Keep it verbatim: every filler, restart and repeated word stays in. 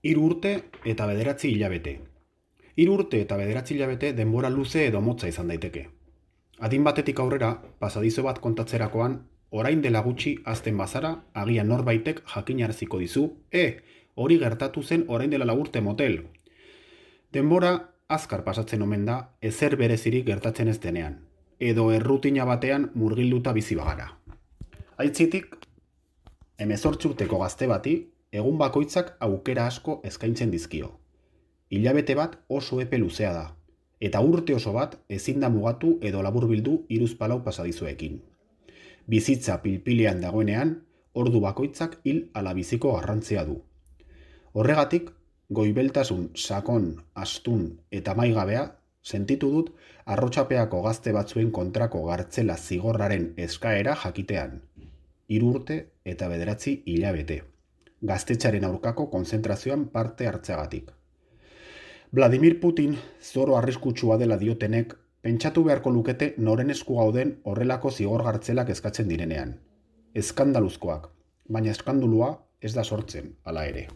Hiru urte eta bederatzi hilabete. Hiru urte eta bederatzi hilabete denbora luze edo motza izan daiteke. Adin batetik aurrera, pasadizo bat kontatzerakoan, orain dela gutxi azten bazara, agian norbaitek jakinaraziko dizu, e, hori gertatu zen orain dela lau urte motel. Denbora azkar pasatzen omen da, ezer berezirik gertatzen ez denean, edo errutina batean murgilduta bizi bagara. Aitzitik, hemezortzi urteko gazte bati, egun bakoitzak aukera asko eskaintzen dizkio. Hilabete bat oso epe luzea da, eta urte oso bat ezin da mugatu edo laburbildu hiruzpalau pasadizuekin. Bizitza pilpilean dagoenean, ordu bakoitzak hil ala biziko garrantzia du. Horregatik, goibeltasun, sakon, astun eta maigabea sentitu dut arrotxapeako gazte batzuen kontrako gartzela zigorraren eskaera jakitean. Hiru urte eta bederatzi hilabete. Gaztetxaren aurkako konzentrazioan parte hartzeagatik. Vladimir Putin zoro arriskutsua dela diotenek, pentsatu beharko lukete noren esku gauden horrelako zigor gartzelak eskatzen direnean. Eskandaluzkoak, baina eskandulua ez da sortzen, hala ere.